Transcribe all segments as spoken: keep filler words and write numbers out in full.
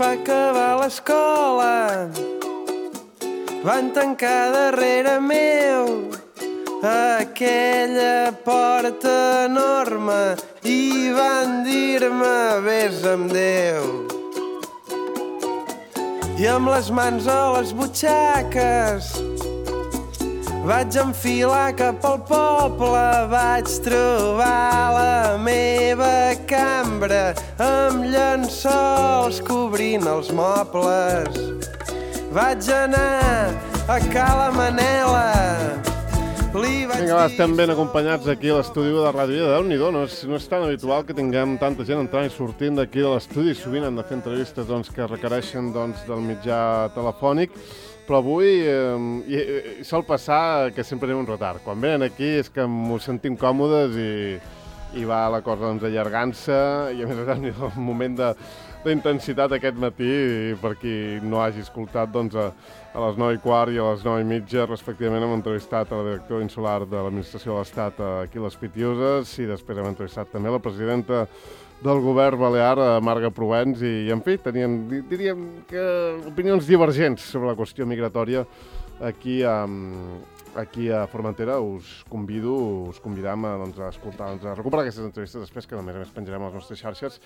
va acabar l'escola, van tancar darrere meu aquella porta enorme i van dir-me vés amb Déu. I amb les mans a les butxaques vaig enfilar cap al poble, vaig trobar la meva cambra amb llençols cobrint els mobles. Vaig anar a Cala Manela. Vinga, va, estem ben acompanyats aquí a l'estudi de Ràdio Vida. Déu-n'hi-do, no és, no és tan habitual que tinguem tanta gent entrant i sortint d'aquí de l'estudi. Sovint hem de fer entrevistes doncs, que requereixen doncs, del mitjà telefònic, però avui eh, i, i sol passar que sempre anem un retard. Quan venen aquí és que m'ho sentim còmodes i, i va la cosa doncs, allargant-se, i a més a més un moment de d'intensitat aquest matí, i per qui no hagi escoltat, doncs, a, a les nou i quart i a les nou i mitja, respectivament, hem entrevistat a la directora insular de l'Administració de l'Estat aquí a les Pitiuses, i després hem entrevistat també la presidenta del govern balear, Marga Provens, i, i en fi, tenien, diríem que opinions divergents sobre la qüestió migratòria aquí a, aquí a Formentera. Us convido, us convidam a, doncs, a escoltar, doncs, a recuperar aquestes entrevistes després, que a més a més penjarem a les nostres xarxes.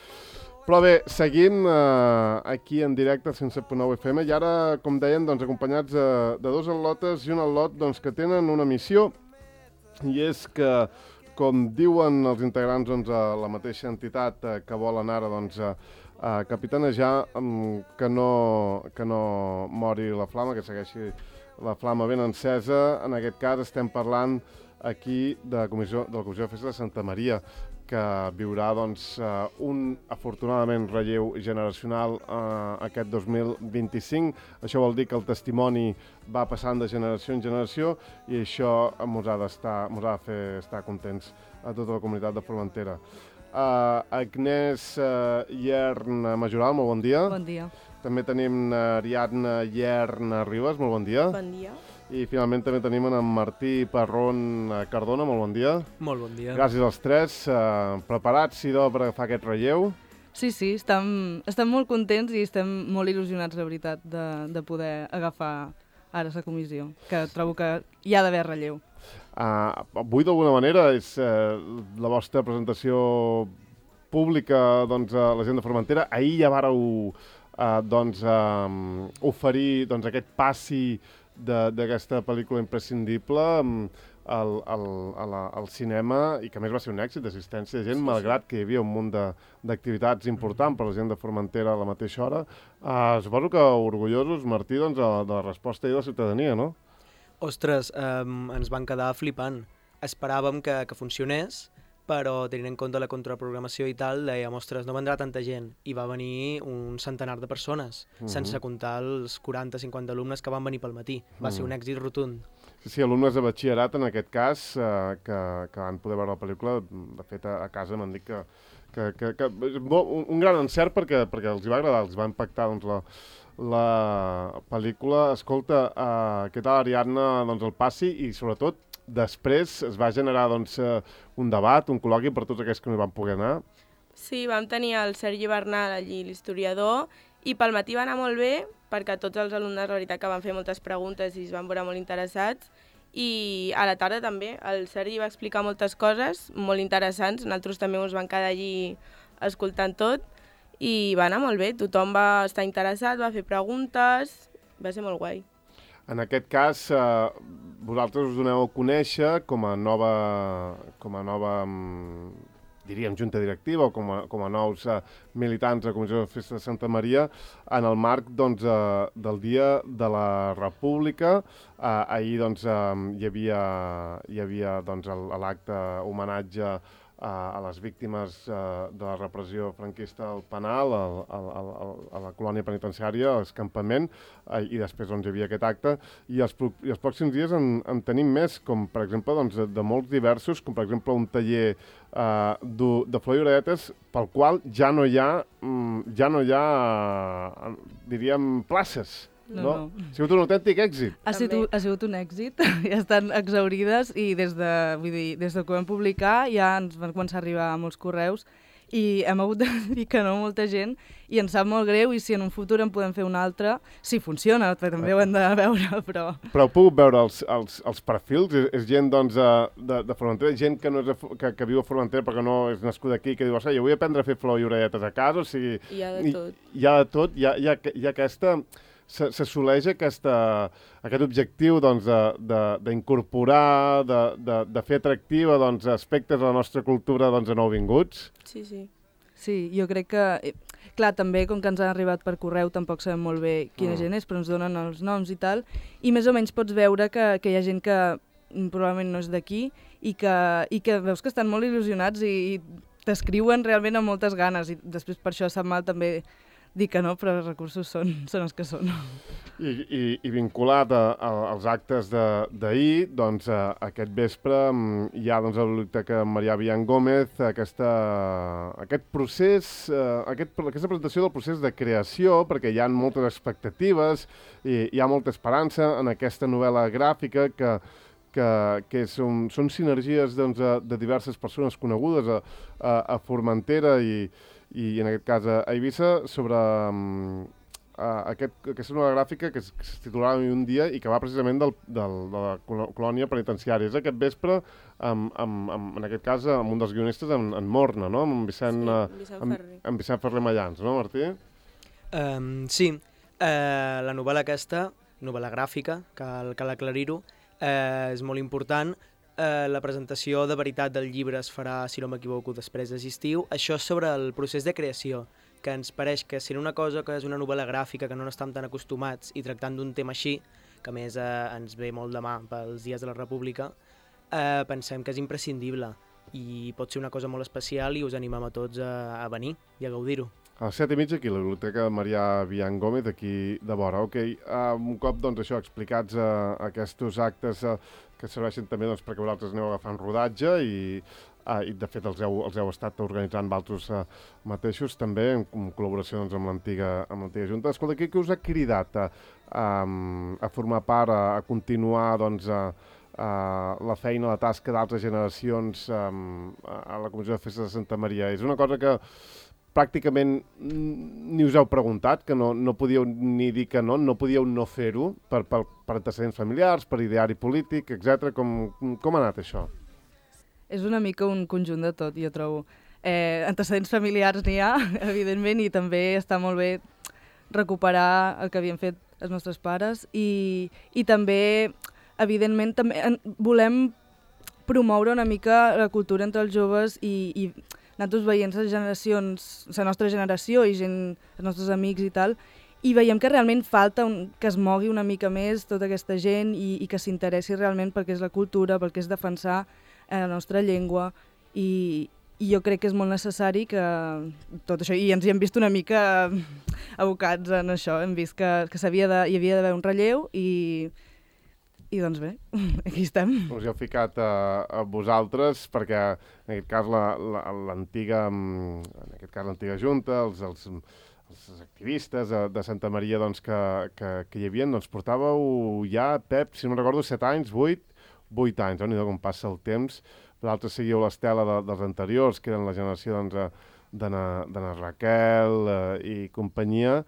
Però bé, seguim eh, aquí en directe, cent set punt nou F M, i ara, com dèiem, doncs, acompanyats de, de dos atlotes i un atlot doncs, que tenen una missió, i és que, com diuen els integrants doncs, a la mateixa entitat eh, que volen ara doncs, a, a capitanejar, um, que, no, que no mori la flama, que segueixi la flama ben encesa. En aquest cas estem parlant aquí de la Comissió de, la Comissió de Festa de Santa Maria, que viurà doncs, uh, un, afortunadament, relleu generacional uh, aquest dos mil vint-i-cinc. Això vol dir que el testimoni va passant de generació en generació, i això ens ha, ens ha de fer estar contents a tota la comunitat de Formentera. Uh, Agnès uh, Iern Majoral, molt bon dia. Bon dia. També tenim uh, Ariadna Iern Ribas, molt bon dia. Bon dia. I finalment també tenim en Martí Parrón Cardona, molt bon dia. Molt bon dia. Gràcies als tres. Uh, preparats, idò, per agafar aquest relleu? Sí, sí, estem, estem molt contents i estem molt il·lusionats, la veritat, de, de poder agafar ara la comissió, que trobo que hi ha d'haver relleu. Uh, avui, d'alguna manera, és uh, la vostra presentació pública doncs, a la gent de Formentera. Ahir ja vàreu uh, doncs, uh, oferir doncs, aquest passi d'aquesta pel·lícula imprescindible al, al, a la, al cinema, i que a més va ser un èxit d'assistència de gent, sí, malgrat sí. que hi havia un munt d'activitats importants per la gent de Formentera a la mateixa hora. Uh, suposo que orgullosos, Martí, doncs, de, de la resposta de la ciutadania, no? Ostres, eh, ens van quedar flipant. Esperàvem que, que funcionés, però tenint en compte la contraprogramació i tal, dèiem, ostres, no vendrà tanta gent. I va venir un centenar de persones, uh-huh. sense comptar els quaranta cinquanta alumnes que van venir pel matí. Va uh-huh. ser un èxit rotund. Sí, sí, alumnes de batxillerat, en aquest cas, eh, que, que van poder veure la pel·lícula. De fet, a, a casa m'han dit que, que, que, que un, un gran encert perquè, perquè els hi va agradar, els va impactar doncs, la, la pel·lícula. Escolta, eh, què tal, Ariadna, doncs, el passi, i sobretot després es va generar doncs, un debat, un col·loqui per tots aquells que no hi van poder anar. Sí, vam tenir el Sergi Bernal allí, l'historiador, i pel matí va anar molt bé, perquè tots els alumnes, la veritat, que van fer moltes preguntes i es van veure molt interessats, i a la tarda també el Sergi va explicar moltes coses molt interessants, nosaltres també ens vam quedar allí escoltant tot, i va anar molt bé, tothom va estar interessat, va fer preguntes, va ser molt guai. En aquest cas, eh, vosaltres us doneu a conèixer com a nova, com a nova diríem, junta directiva o com a, com a nous eh, militants de la Comissió de Festa de Santa Maria en el marc doncs, eh, del Dia de la República. Eh, ahir doncs, eh, hi havia, hi havia doncs, l'acte homenatge a les víctimes de la repressió franquista al penal, a la colònia penitenciària, a l'escampament, i després doncs, hi havia aquest acte. I els, i els pròxims dies en, en tenim més, com per exemple doncs, de, de molts diversos, com per exemple un taller eh, de, de flor i oradetes, pel qual ja no hi ha, ja no hi ha diríem, places. No, no. no. Ha sigut un autèntic èxit. Ha sigut, ha sigut un èxit, ja estan exaurides i des de, vull dir, des de que ho vam publicar ja ens van començar a arribar molts correus i hem hagut de dir que no a molta gent i ens sap molt greu i si en un futur en podem fer un altre, si funciona, perquè també ho hem de veure, però... Però heu pogut veure els, els, els perfils? És, és gent doncs, de, de Formentera, gent que, no és de, que, que viu a Formentera perquè no és nascuda aquí, que diu, jo vull aprendre a fer flor i orelletes a casa, o sigui... Hi ha de tot. Hi, hi ha de tot, hi ha, hi ha, hi ha aquesta... s'assoleix aquesta, aquest objectiu doncs, d'incorporar, de, de, de, de fer atractiva doncs, aspectes de la nostra cultura doncs, a nouvinguts. Sí, sí. Sí, jo crec que... Clar, també, com que ens han arribat per correu, tampoc sabem molt bé quina Mm. gent és, però ens donen els noms i tal, i més o menys pots veure que, que hi ha gent que probablement no és d'aquí i que, i que veus que estan molt il·lusionats i, i t'escriuen realment amb moltes ganes, i després per això sap mal també dir que no, però els recursos són, són els que són. I, i, i vinculat a, a, als actes d'ahir, doncs, a, aquest vespre mm, hi ha doncs, a la Biblioteca Marià Bian Gómez aquesta, aquest procés, eh, aquest, aquesta presentació del procés de creació, perquè hi ha moltes expectatives i hi ha molta esperança en aquesta novel·la gràfica que, que, que són, són sinergies doncs, de diverses persones conegudes a, a, a Formentera i i en aquest cas a Eivissa, sobre um, uh, aquest, aquesta nova gràfica que es, que es titulava Un dia i que va precisament del, del, de la colònia penitenciària. És aquest vespre, amb, amb, amb, en aquest cas, amb un dels guionistes, en, en Morna, no? Amb Vicent, Sí, uh, Vicent amb, Ferrer. amb Vicent Ferrer Mallans, no, Martí? Um, sí, uh, la novel·la aquesta, novel·la gràfica, cal, cal aclarir-ho, uh, és molt important. Uh, la presentació de veritat del llibre es farà, si no m'equivoco, després d'estiu. Això és sobre el procés de creació, que ens pareix que sent una cosa que és una novel·la gràfica, que no n'estem tan acostumats, i tractant d'un tema així, que a més uh, ens ve molt de mà pels dies de la República, uh, pensem que és imprescindible i pot ser una cosa molt especial i us animem a tots a, a venir i a gaudir-ho. A les set i mitja aquí, a la Biblioteca Marià Bian Gómez, aquí de vora. Ok, uh, un cop doncs, això explicats uh, aquests actes uh, que serveixen també doncs, perquè vosaltres aneu agafant rodatge i, uh, i de fet els heu, els heu estat organitzant vosaltres uh, mateixos també en, en col·laboració doncs, amb l'antiga amb l'antiga Junta. Escolta, què, què us ha cridat a, a, a formar part, a, a continuar doncs, a, a la feina, la tasca d'altres generacions um, a la Comissió de Festes de Santa Maria? És una cosa que pràcticament ni us heu preguntat, que no, no podíeu ni dir que no, no podíeu no fer-ho per, per, per antecedents familiars, per ideari polític, etcètera. Com, com ha anat això? És una mica un conjunt de tot, jo trobo. Eh, antecedents familiars n'hi ha, evidentment, i també està molt bé recuperar el que havien fet els nostres pares i, i també, evidentment, també volem promoure una mica la cultura entre els joves i, i nosaltres veient les generacions, la nostra generació i gent, els nostres amics i tal, i veiem que realment falta un, que es mogui una mica més tota aquesta gent i, i que s'interessi realment pel que és la cultura, pel que és defensar eh, la nostra llengua i, i jo crec que és molt necessari que tot això, i ens hi hem vist una mica abocats en això, hem vist que, que s'havia de, hi havia d'haver un relleu i I doncs bé, aquí estem. Us hi heu ficat a, a vosaltres perquè en aquest cas l'antiga en aquest cas l'antiga Junta, els, els, els activistes de, de Santa Maria doncs, que, que, que hi havia, doncs portàveu ja, Pep, si no recordo, set anys, vuit, vuit anys, no? Com passa el temps. Vosaltres seguiu l'estela de, dels anteriors, que eren la generació doncs, d'Anna Raquel eh, i companyia,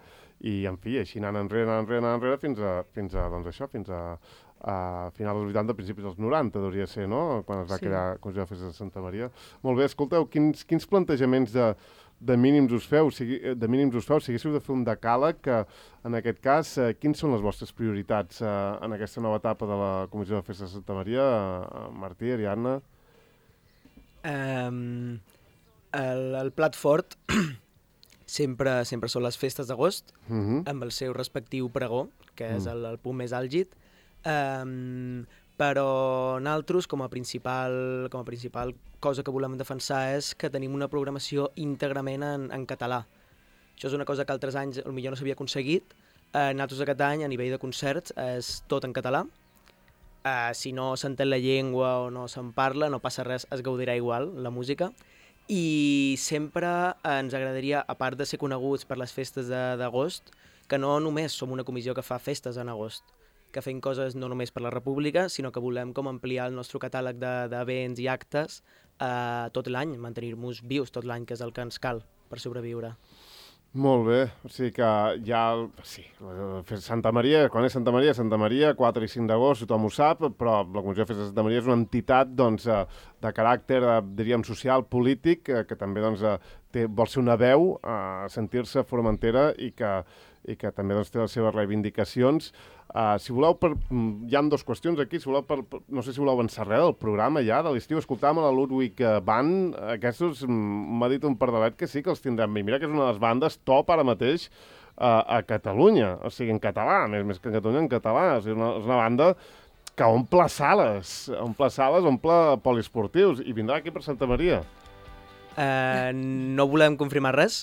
i en fi, així anant enrere, anant enrere, anant enrere, fins a, fins a doncs això, fins a a finals dels vuitanta, principis dels noranta, hauria ser, no?, quan es va sí. crear la Comissió de Festes de Santa Maria. Molt bé, escolteu, quins, quins plantejaments de, de mínims us feu, si, de mínims us feu, si haguéssiu de fer un decàleg, que en aquest cas, eh, quins són les vostres prioritats eh, en aquesta nova etapa de la Comissió de Festes de Santa Maria? Eh, Martí, Ariadna? Um, el, el plat fort sempre, sempre són les festes d'agost, Uh-huh. amb el seu respectiu pregó, que és Mm. el, el punt més àlgid. Um, però nosaltres, com a principal, com a principal cosa que volem defensar és que tenim una programació íntegrament en, en català. Això és una cosa que altres anys potser no s'havia aconseguit. Uh, nosaltres aquest any, a nivell de concerts, és tot en català. Uh, si no s'entén la llengua o no se'n parla, no passa res, es gaudirà igual, la música. I sempre ens agradaria, a part de ser coneguts per les festes d'agost, que no només som una comissió que fa festes en agost, que fem coses no només per la República, sinó que volem com ampliar el nostre catàleg d'events i actes eh, tot l'any, mantenir-nos vius tot l'any, que és el que ens cal per sobreviure. Molt bé, o sigui que ja... Sí, Santa Maria, quan és Santa Maria? Santa Maria, quatre i cinc d'agost, tothom ho sap, però la Comissió de Festes de Santa Maria és una entitat doncs, de caràcter, diríem, social, polític, que també doncs, té, vol ser una veu a sentir-se Formentera i que, i que també doncs, té les seves reivindicacions. Uh, si voleu, per, hi ha dues qüestions aquí, si voleu, per, per, no sé si voleu avançar res del programa ja, de l'estiu, escoltàvem a la Ludwig Band, aquests m'ha dit un pardalet que sí que els tindrem, i mira que és una de les bandes top ara mateix uh, a Catalunya, o sigui, en català, més, més que en Catalunya, en català, o sigui, una, és una banda que omple sales, omple sales, omple poliesportius, i vindrà aquí per Santa Maria. Uh, no volem confirmar res,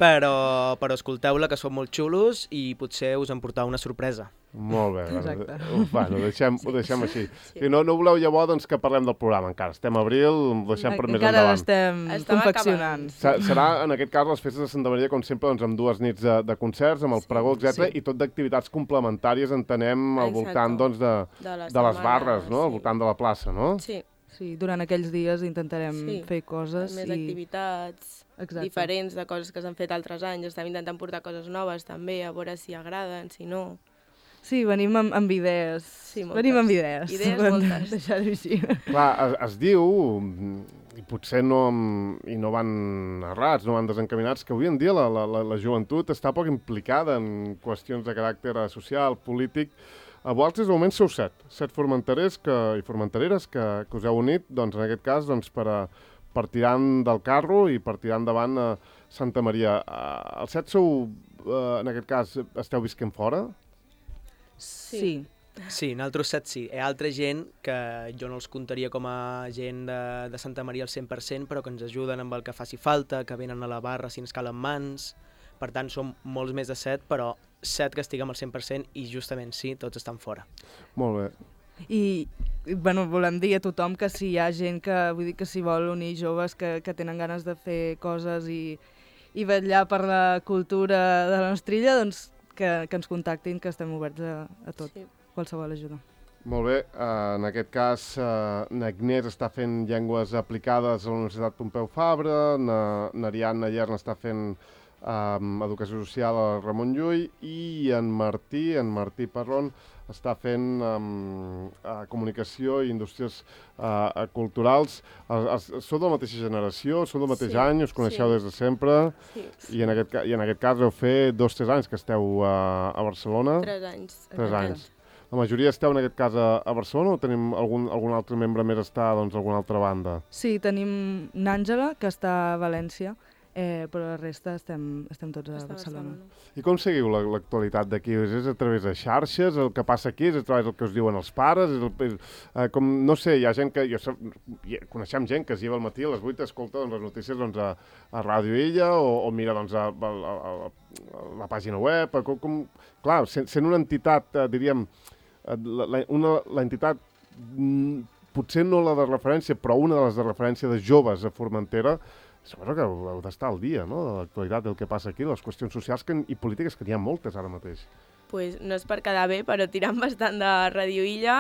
però, però escolteu-la, que són molt xulos i potser us en portau una sorpresa. Molt bé, exacte. Bueno, ho deixem, ho deixem així. Sí. Si no, no voleu llavors doncs, que parlem del programa encara. Estem a abril, ho deixem per més encara endavant. l'estem Estem confeccionant. acabant. Serà, en aquest cas, les festes de Santa Maria, com sempre, doncs, amb dues nits de, de concerts, amb el Sí, pregó, etcètera, sí. i tot d'activitats complementàries, entenem, al Exacte. voltant doncs, de, De les, de les barres, no? Al sí. voltant de la plaça, no? Sí, Sí, durant aquells dies intentarem Sí. fer coses més i... activitats Exacte. diferents de coses que s'han fet altres anys. Estem intentant portar coses noves també, a veure si agraden, si no. Sí, venim amb, amb idees. Sí, moltes. venim amb idees. Idees Vam moltes. deixar-ho així. Clar, es, es diu, i potser no, i no van errats, no van desencaminats, que avui en dia la, la, la, la joventut està poc implicada en qüestions de caràcter social, polític. A vosaltres, de moment, sou set. Set formenterers que, i formentereres que, que us heu unit, doncs, en aquest cas, doncs, per, a, per tirar del carro i per tirar endavant a Santa Maria. Uh, els set sou, uh, en aquest cas, esteu visquent fora? Sí. Sí, nosaltres set sí. Hi ha altra gent que jo no els comptaria com a gent de, de Santa Maria al cent per cent, però que ens ajuden amb el que faci falta, que venen a la barra si ens calen mans. Per tant, som molts més de set, però set que estiguem al cent per cent i justament sí, tots estan fora. Molt bé. I, bueno, volem dir a tothom que si hi ha gent que, vull dir que s'hi vol unir, joves que, que tenen ganes de fer coses i, i vetllar per la cultura de la nostra illa, doncs que, que ens contactin, que estem oberts a, a tot, Sí. qualsevol ajuda. Molt bé, uh, en aquest cas uh, n'Agnès està fent llengües aplicades a la Universitat Pompeu Fabra, n'Ariadna Llers està fent um, Educació Social a Ramon Llull i en Martí, en Martí Parrón, està fent um, uh, Comunicació i Indústries uh, Culturals. Uh, uh, sou de la mateixa generació, sou del mateix Sí, any, us coneixeu sí. des de sempre Sí, i en aquest, ca- i en aquest cas heu fet dos o tres anys que esteu uh, a Barcelona. tres anys. Tres anys. La majoria esteu en aquest cas a, a Barcelona o tenim algun, algun altre membre més està doncs, a alguna altra banda? Sí, tenim n'Àngela, que està a València, eh, però la resta estem, estem tots a Està a Barcelona. I com seguiu la- l'actualitat d'aquí? És a través de xarxes? El que passa aquí és a través del que us diuen els pares? És el, és, eh, com, no sé, hi ha gent que... Jo, sap- hi- coneixem gent que es lleva al matí a les vuit, escolta doncs, les notícies doncs, a, a Ràdio Illa o, o mira doncs, a, a, a, a la pàgina web. A, com, com, clar, sent, sent una entitat, eh, diríem, la, la, una, la entitat, mm, potser no la de referència, però una de les de referència de joves a Formentera, suposo que heu, heu d'estar al dia, no?, de l'actualitat, del que passa aquí, les qüestions socials que, i polítiques, que n'hi ha moltes ara mateix. Pues no és per quedar bé, però tirant bastant de Radio Illa,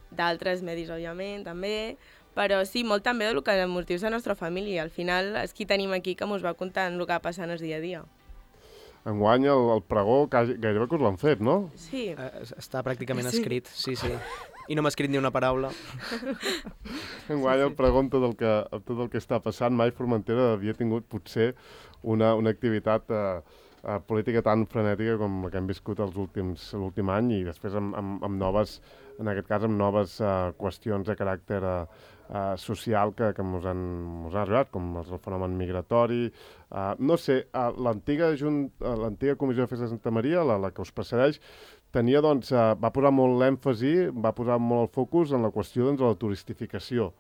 d'altres medis, òbviament, també, però sí, molt també del que els motius de la nostra família. Al final és qui tenim aquí que ens va contant el que va passant el dia a dia. Enguany el, el pregó quasi- gairebé que us l'han fet, no? Sí, Eh, està pràcticament Sí. escrit, sí, sí. I no m'ha escrit ni una paraula. Enguany el pregó amb tot el que, amb tot el que està passant, mai Formentera havia tingut potser una, una activitat eh, eh, política tan frenètica com la que hem viscut els últims l'últim any i després amb, amb, amb noves, en aquest cas amb noves eh, qüestions de caràcter eh, eh, social que, que mos han, mos han arribat, com el fenomen migratori. Eh, no sé, eh, l'antiga Jun- eh, l'antiga Comissió de Festes de Santa Maria, la, la que us precedeix, tenia, doncs, eh, va posar molt l'èmfasi, va posar molt el focus en la qüestió doncs, de la turistificació,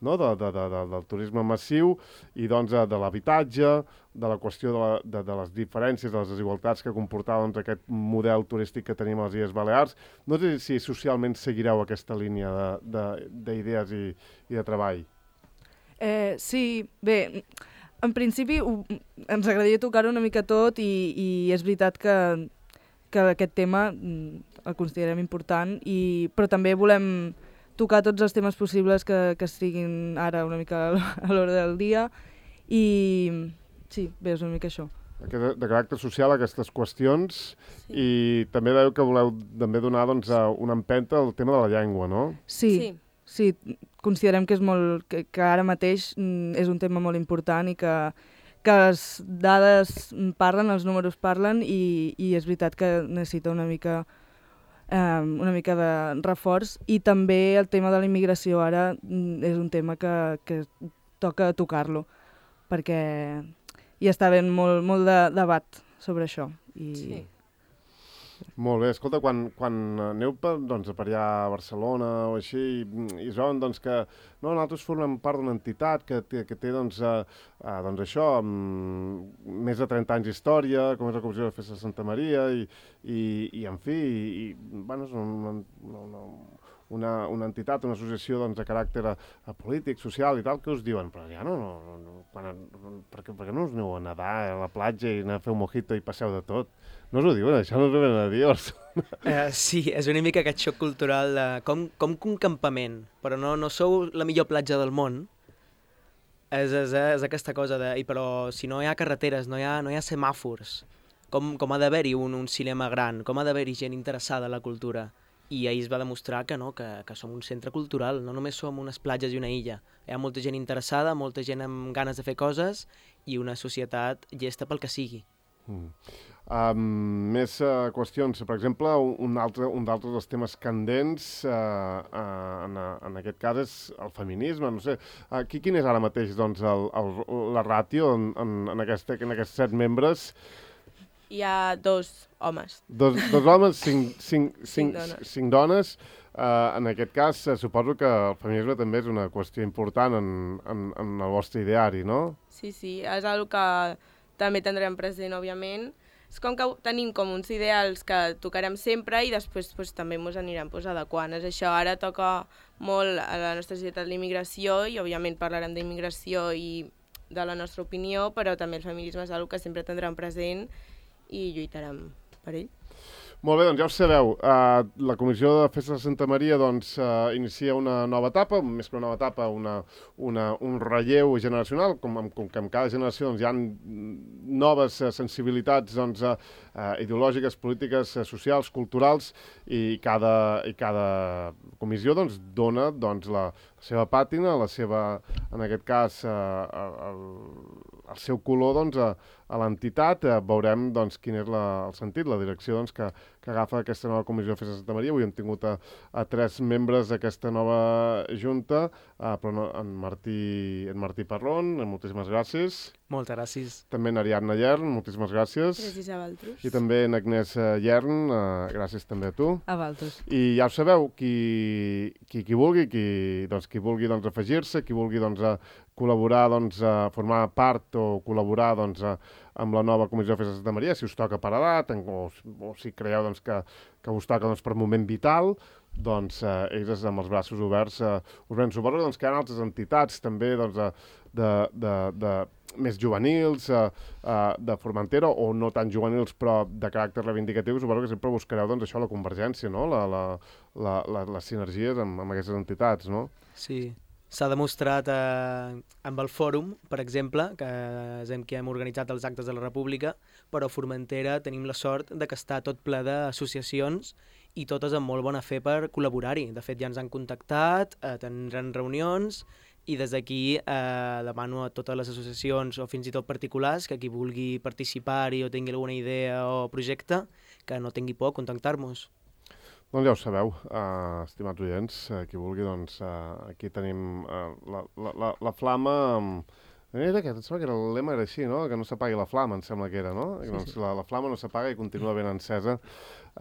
no? de, de, de, de, del turisme massiu i doncs, de, de l'habitatge, de la qüestió de, la, de, de les diferències, de les desigualtats que comportava doncs, aquest model turístic que tenim a les Illes Balears. No sé si socialment seguireu aquesta línia d'idees i, i de treball. Eh, sí, bé, en principi ho, ens agradaria tocar una mica tot i, i és veritat que, que aquest tema mm, el considerem important, i, però també volem tocar tots els temes possibles que, que estiguin ara una mica a l'hora del dia, i sí, bé, és una mica això. De, de caràcter social, aquestes qüestions, Sí. i també veieu que voleu també donar doncs, una empenta al tema de la llengua, no? Sí, Sí. sí, considerem que, és molt, que, que ara mateix mm, és un tema molt important i que, que les dades parlen, els números parlen, i, i és veritat que necessita una mica, eh, una mica de reforç, i també el tema de la immigració ara mm, és un tema que, que toca tocar-lo, perquè hi està havent molt, molt de debat sobre això. I... Sí. Molt bé, escolta, quan, quan aneu per, doncs, per allà a Barcelona o així, i, i es veuen doncs, que no, nosaltres formem part d'una entitat que té, que té doncs, eh, eh, doncs això, mm, més de trenta anys d'història, com és la Comissió de Festa de Santa Maria, i, i, i en fi, i, i bueno, és una, una, una, una entitat, una associació doncs, de caràcter a, a polític, social i tal, que us diuen, però ja no, no, no quan, per, què, per què no us aneu a nedar a la platja i anar a fer un mojito i passeu de tot? No us ho diuen, això no us ho venen a dir. Uh, sí, és una mica aquest xoc cultural de com, com que un campament, però no, no sou la millor platja del món. És, és, és aquesta cosa de... I però si no hi ha carreteres, no hi ha, no hi ha semàfors, com, com ha d'haver-hi un, un cinema gran, com ha d'haver-hi gent interessada en la cultura. I ahir es va demostrar que no, que, que som un centre cultural, no només som unes platges i una illa. Hi ha molta gent interessada, molta gent amb ganes de fer coses i una societat llesta pel que sigui. Mm. Um, més uh, qüestions. Per exemple, un altre un d'altres dels temes candents uh, uh, en, en aquest cas és el feminisme. No sé, aquí quin és ara mateix doncs, el, el, la ràtio en, en, en, aquesta, en aquests set membres? Hi ha dos homes. Dos, dos homes, cinc, cinc, cinc, Cinc dones. cinc dones. Uh, en aquest cas, uh, suposo que el feminisme també és una qüestió important en, en, en el vostre ideari, no? Sí, sí, és una que també tindrem present, òbviament. És com que tenim com uns ideals que tocarem sempre i després pues, també ens anirem pues, adequant. És això, ara toca molt a la nostra societat l'immigració i òbviament parlarem d'immigració i de la nostra opinió, però també el feminisme és una que sempre tindrem present i lluitarem per ell. Molt bé, doncs ja ho sabeu, uh, la Comissió de Festa de Santa Maria doncs, uh, inicia una nova etapa, més que una nova etapa, una, una, un relleu generacional, com, com que en cada generació doncs, hi ha noves uh, sensibilitats doncs, uh, uh, ideològiques, polítiques, uh, socials, culturals, i cada, i cada comissió doncs, dona doncs, la seva pàtina, la seva, en aquest cas, uh, el, el seu color doncs, a, a l'entitat. Uh, veurem doncs, quin és la, el sentit, la direcció doncs, que, que agafa aquesta nova Comissió de Festa de Santa Maria. Avui hem tingut a, a tres membres d'aquesta nova junta, uh, però no, en, Martí, en Martí Parrón, moltíssimes gràcies. Moltes gràcies. També en Ariadna Llern, moltíssimes gràcies. Gràcies a vosaltres. I també en Agnès Llern, uh, gràcies també a tu. A vosaltres. I ja ho sabeu, qui, qui, qui vulgui, qui, doncs, qui vulgui doncs, afegir-se, qui vulgui doncs, a col·laborar, doncs, a formar part o col·laborar doncs, a, amb la nova Comissió de Festa de Santa Maria, si us toca per edat, o, o si creieu doncs, que, que us toca doncs, per moment vital, doncs eh, ells amb els braços oberts eh, us venen. Suposo doncs, que hi ha altres entitats també doncs, de, de, de, de més juvenils, eh, eh, de Formentera, o no tan juvenils però de caràcter reivindicatiu. Suposo que sempre buscareu doncs, això, la convergència, no? la, la, la, la, les sinergies amb, amb aquestes entitats, no? Sí, s'ha demostrat eh, amb el fòrum, per exemple, que és en què hem organitzat els actes de la República, però a Formentera tenim la sort de que està tot ple d'associacions i totes amb molt bona fe per col·laborar-hi. De fet, ja ens han contactat, eh, tindran reunions, i des d'aquí eh, demano a totes les associacions o fins i tot particulars que qui vulgui participar-hi o tingui alguna idea o projecte, que no tingui por a contactar-nos. Doncs ja ho sabeu, uh, estimats oients, uh, qui vulgui, doncs uh, aquí tenim uh, la, la, la, la flama... Um, era aquest, em sembla que era, el lema era així, no? Que no s'apagui la flama, em sembla que era, no? Sí, doncs sí. La, la flama no s'apaga i continua ben encesa,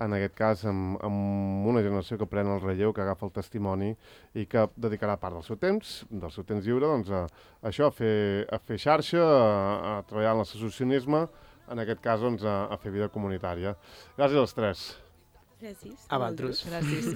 en aquest cas amb, amb una generació que pren el relleu, que agafa el testimoni i que dedicarà part del seu temps, del seu temps lliure, doncs a, a això, a fer, a fer xarxa, a, a treballar en l'associacionisme, en aquest cas doncs, a, a fer vida comunitària. Gràcies als tres. Gràcies. A vosaltres. Gràcies.